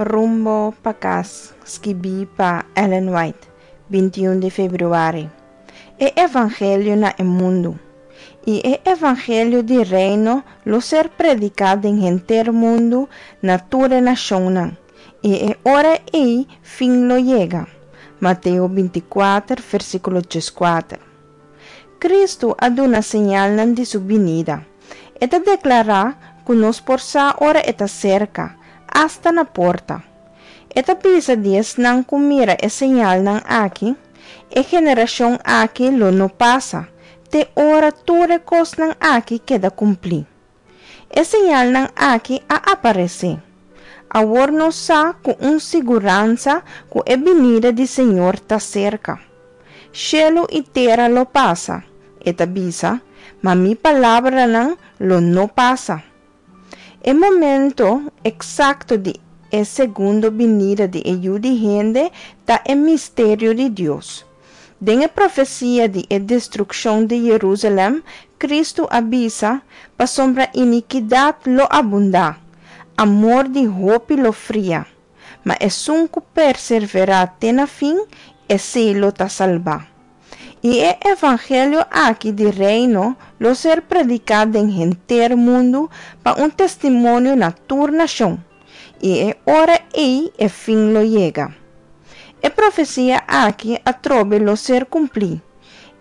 Rumbo pa kas, skibí pa Ellen White, 21 di febrüari. E Evangelio na e mundu. I e Evangelio di Reino lo ser prediká den henter mundu na tur e nashonnan, i e ora ei fin lo yega. Mateo 24, versíkulo 14. Kristu a duna señalnan di su binida. E ta deklará ku nos por sa ora e ta serka, asta na porta. E ta bisa di esnan ku mira e señalnan aki, E generashon aki lo no pasa, te ora tur e kosnan aki keda kumplí. E señalnan aki a aparesé. Awor nos sa ku un siguransa ku e binida di Señor ta serka. Shelu i tera lo pasa, e ta bisa, ma mi palabranan lo no pasa. E momento eksakto di e segundo binida di e Yu di hende ta e misterio di Dios. Den e profesia di e destrukshon di Yerusalèm, Kristu a bisa, Pasobra inikidat lo abundá, amor di hopi lo fria, ma esun ku perserverá te na fin, esei lo ta salbá. I e evangelio aki di Reino lo ser prediká den henter mundu pa un testimonio na tur nashon, i e ora ei e fin lo yega. E profesia aki atrobe lo ser kumplí,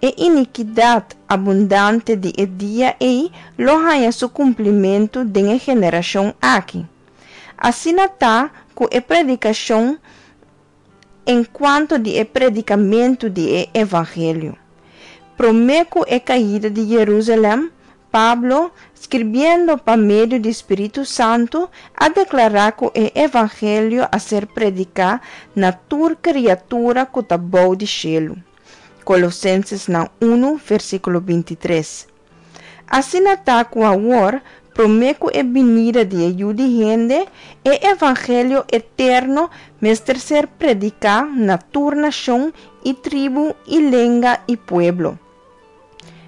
E inikidat abundante di e dia ei lo haña su kumplimentu den e generashon aki. Asina ta ku e predikashon en kuanto di e predikamentu di e evangelio. Promé ku e kaida di Yerusalèm, Pablo, skirbiendo pa medio di spiritu santu, a deklará ku e evangelio a ser prediká na tur kriatura ku ta bou di shelu. Kolosensesnan unu, versíkulo 23. Asina ta ku awor, promé ku e binida di e Yu di hende, e evangelio eterno mester ser prediká na tur nashon i tribu i lenga i pueblo.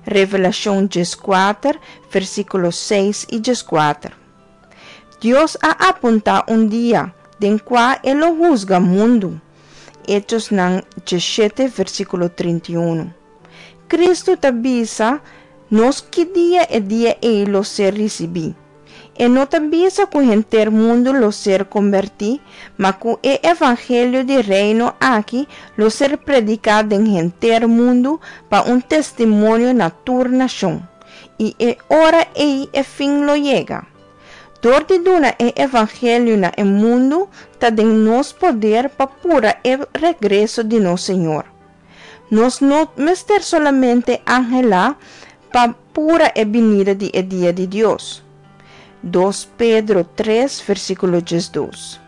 Revelashon 14, versíkulo 6 i 14. Dios a apuntá un dia den kua e lo husga mundu. Echosnan 17, versíkulo 31. Kristu ta bisa nos ki dia e dia ei lo ser risibí. E no ta bisa ku henter mundu lo ser kombertí, ma ku e evangelio di Reino aki lo ser prediká den henter mundu pa un testimonio na tur nashon, i e ora ei e fin lo yega. Dor di duna e evangelio na e mundu ta den nos poder pa pura e regreso di nos Señor. Nos no mester solamente anhelá pa pura e binida di e dia di Dios. 2 Pedro 3, versíkulo 12.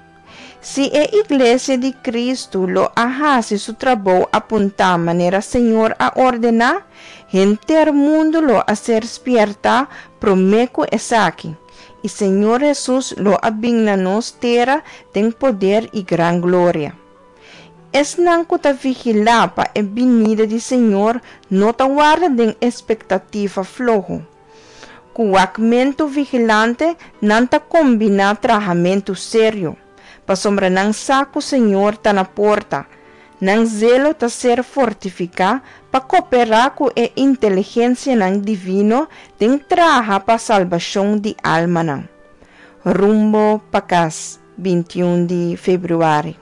Si e Iglesia di Kristu lo a hasi su trabou apuntá manera Señor a ordená, henter mundu lo a ser spièrtá promé ku esaki, i Señor Hesus lo a bin na nos tera den poder i gran gloria. Esnan ku ta vigilá pa e binida di Señor no ta warda den espektativa floho. Ku wakmentu vigilante nan ta kombiná trahamentu serio, pasobra nan sa ku Señor ta na porta. Nan zelo ta ser fortifiká pa koperá ku e inteligensianan divino den traha pa salbashon di almanan. Rumbo pa kas, 21 di febrüari.